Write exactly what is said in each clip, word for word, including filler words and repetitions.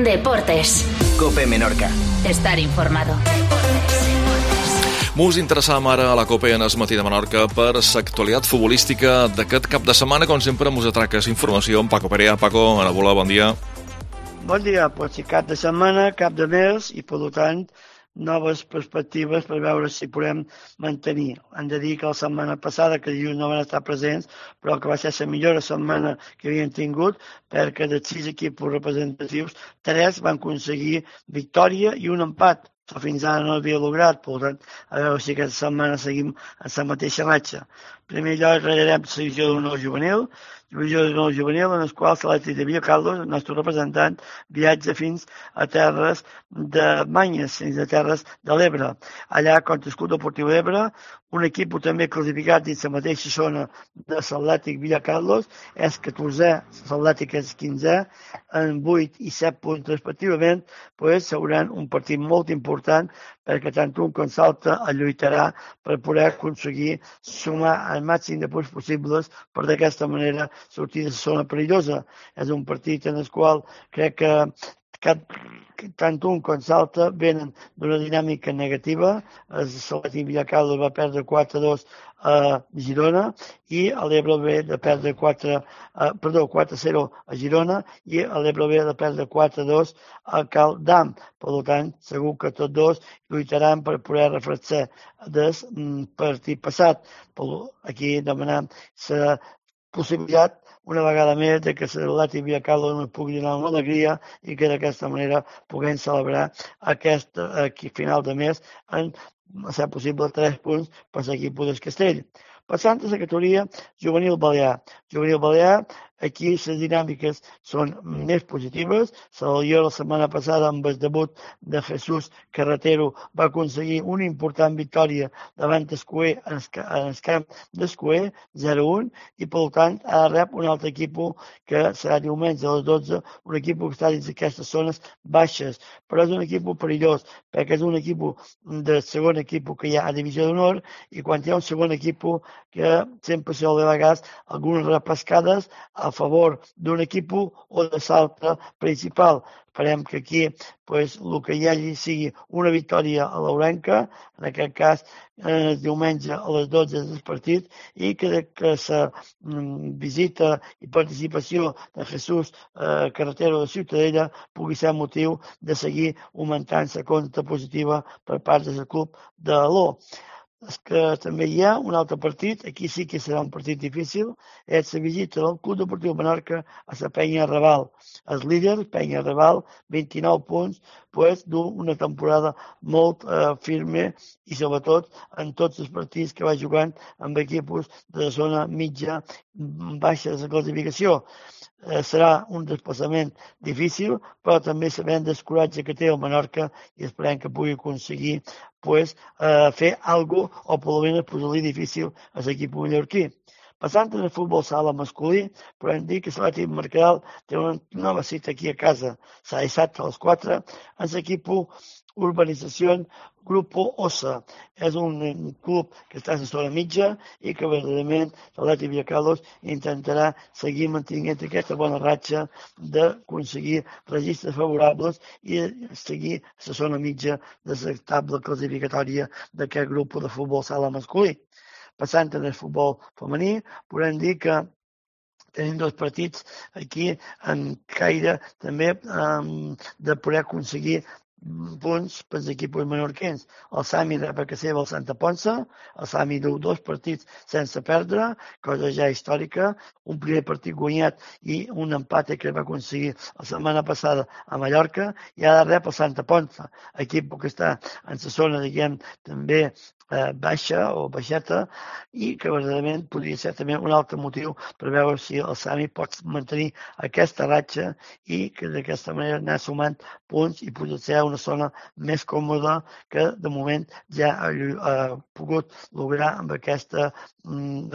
Deportes. COPE Menorca. Estar informado. Mos interessam ara a la COPE en el matí de Menorca per l'actualitat futbolística d'aquest cap de setmana. Com sempre, mos atraques informació amb Paco Perea. Paco, Anabola, bon dia. Bon dia, pot ser cap de setmana, cap de mes i, per tant, noves perspectives per veure si podem mantenir. Hem de dir que la setmana passada, que dilluns no van estar presents, però que va ser la millor setmana que havien tingut, perquè dels sis equips representatius, tres van aconseguir victòria i un empat. Això fins ara no havia lograt, per tant, a veure si aquesta setmana seguim en la mateixa ratxa. En primer lloc, regarem la divisió d'honor juvenil, divisió d'honor juvenil, en el qual l'Atlètic de Villacarlos, el nostre representant, viatja fins a terres de Manyes, fins a terres de l'Ebre. Allà, contra el Club Deportiu d'Ebre, un equip també classificat dins la mateixa zona de l'Atlètic Villacarlos, és catorzè, l'Atlètic és quinzè, en vuit i set punts respectivament, pues, seran un partit molt important perquè tant un com l'altre el lluitarà per poder aconseguir sumar el màxim de punts possibles per d'aquesta manera sortir de la zona perillosa. És un partit en el qual crec que Cap, tant un com l'altre venen d'una dinàmica negativa. El Atlètic Villacarlos va perdre quatre a dos a Girona i l'Ebre ve de perdre quatre, uh, perdó, quatre a zero a Girona i l'Ebre ve de perdre quatre a dos a Cal Dam. Per tant, segur que tots dos lluitaran per poder refrescar del partit passat. Aquí demanem la possibilitat una vegada més de que l'Atlètic Villacarlos no pugui donar una alegria i que d'aquesta manera puguem celebrar aquest aquí, final de mes en, a ser possible, tres punts per l'equip del Castell. Passant a la categoria juvenil balear. Juvenil balear, aquí les dinàmiques són més positives. Jo la setmana passada, amb el debut de Jesús Carretero, va aconseguir una important victòria davant d'Escuer en el camp d'Escuer, zero a un, i per tant ara rep un altre equip que serà diumenge a les dotze, un equip que està dins d'aquestes zones baixes, però és un equip perillós, perquè és un equip del segon equip que hi ha a divisió d'honor, i quan hi ha un segon equip que sempre sol de vegades algunes repescades a favor d'un equip o de l'altre principal. Esperem que aquí pues, el que hi hagi sigui una victòria a l'Ourenca, en aquest cas el diumenge a les dotze del partit, i que, que la mm, visita i participació de Jesús eh, Carretero de Ciutadella pugui ser motiu de seguir augmentant la compta positiva per part del club de l'O. És que també hi ha un altre partit, aquí sí que serà un partit difícil, és la visita del Club Deportiu Menorca a la Penya Raval. El líder, Penya Raval, vint-i-nou punts, pues, d'una temporada molt eh, firme i sobretot en tots els partits que va jugant amb equips de la zona mitja baixa de la classificació. Eh, serà un desplaçament difícil, però també sabem del coratge que té el Menorca i esperem que pugui aconseguir pues, eh, fer alguna cosa o per almenys posar-li difícil a l'equip mallorquí. Passant en el futbol sala masculí, podem dir que l'Atlètic Mercadal té una nova cita aquí a casa, serà dissabte a les quatre, en l'equip Urbanització Grupo Ossa. És un club que està a la zona mitja i que verdaderament l'Atlètic Villacarlos intentarà seguir mantenint aquesta bona ratxa d'aconseguir registres favorables i seguir a la zona mitja de la taula classificatòria d'aquest grup de futbol sala masculí. Passant en el futbol femení, podem dir que tenim dos partits aquí en caire també um, de poder aconseguir punts per als equips menorquins. El Sami rep a casa seva el Santa Ponça, el Sami du dos partits sense perdre, cosa ja històrica, un primer partit guanyat i un empat que va aconseguir la setmana passada a Mallorca, i ara rep el Santa Ponça, equip que està en la zona, diguem, també eh, baixa o baixeta, i que verdaderament podria ser també un altre motiu per veure si el Sami pot mantenir aquesta ratxa i que d'aquesta manera anar sumant punts i poder ser una zona més còmoda que de moment ja ha, ha pogut lograr amb aquesta mm,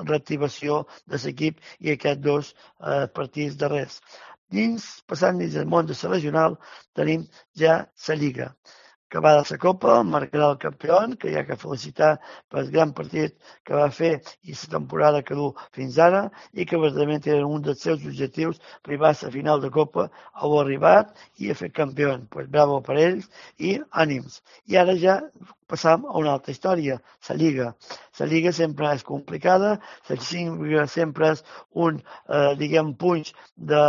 reactivació de l'equip i aquests dos eh, partits darrers. Dins, passant dins del món de la regional, tenim ja la Lliga. que va de la Copa, marcarà el campió, que hi ha que felicitar pel gran partit que va fer i la temporada que du fins ara, i que verdaderament era un dels seus objectius arribar a la final de Copa, ho ha arribat i ha fet campió. Pues bravo per ells i ànims. I ara ja passam a una altra història, la Lliga. La Lliga sempre és complicada, la Lliga sempre és un, eh, diguem, punx de,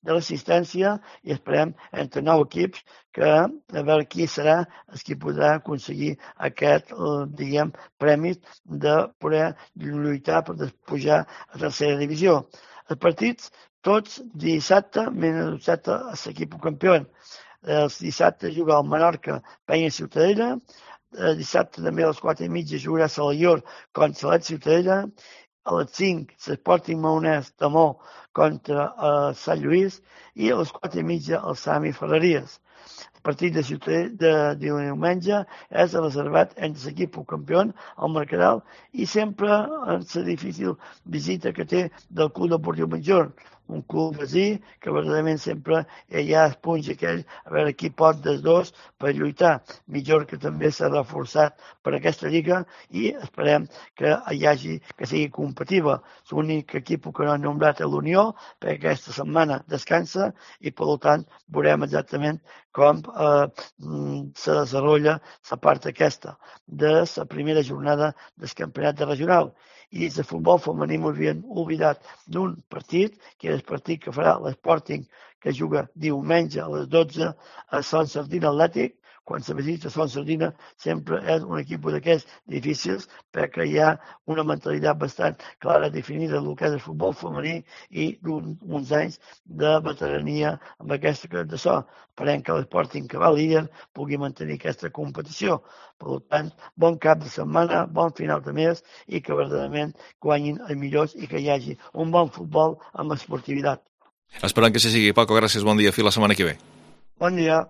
de l'assistència i esperem entre nou equips que a veure qui serà el que podrà aconseguir aquest, eh, diguem, premi de poder lluitar per pujar a tercera divisió. Els partits, tots dissabte, menys dissabte, a l'equip campió. Els dissabte juga el Menorca, Penya Ciutadella, dissabte també a les quatre i mitja jugarà Salaior contra l'Et Ciutadella, a les cinc l'Sporting Maonès Tamó contra uh, Sant Lluís i a les quatre i mitja el Sami Ferreries. El partit de, Ciutadella, de, de diumenge és reservat entre l'equip campió, el Mercadal, i sempre en la difícil visita que té del Club Deportiu Major, un club vecí que verdaderament sempre hi ha els punts aquells a veure qui pot dels dos per lluitar. Millor que també s'ha reforçat per aquesta lliga i esperem que hi hagi, que sigui competitiva. L'únic equip que no ha nombrat és l'Unió, perquè aquesta setmana descansa i per tant veurem exactament com eh, se desenvolupa la part aquesta de la primera jornada del campionat de regional. I dins de futbol femení m'havien oblidat d'un partit, que és el partit que farà l'Sporting, que juga diumenge a les dotze a Son Sardina Atlètic. Quan se visita Son Sardina sempre és un equip d'aquests difícils perquè hi ha una mentalitat bastant clara definida del que és el futbol femení i d'uns anys de veterania amb aquesta que de so. Esperem que l'Sporting, que va líder, pugui mantenir aquesta competició. Per tant, bon cap de setmana, bon final de mes i que verdaderament guanyin els millors i que hi hagi un bon futbol amb esportivitat. Esperant que se sigui. Paco, gràcies, bon dia. Fins la setmana que ve. Bon dia.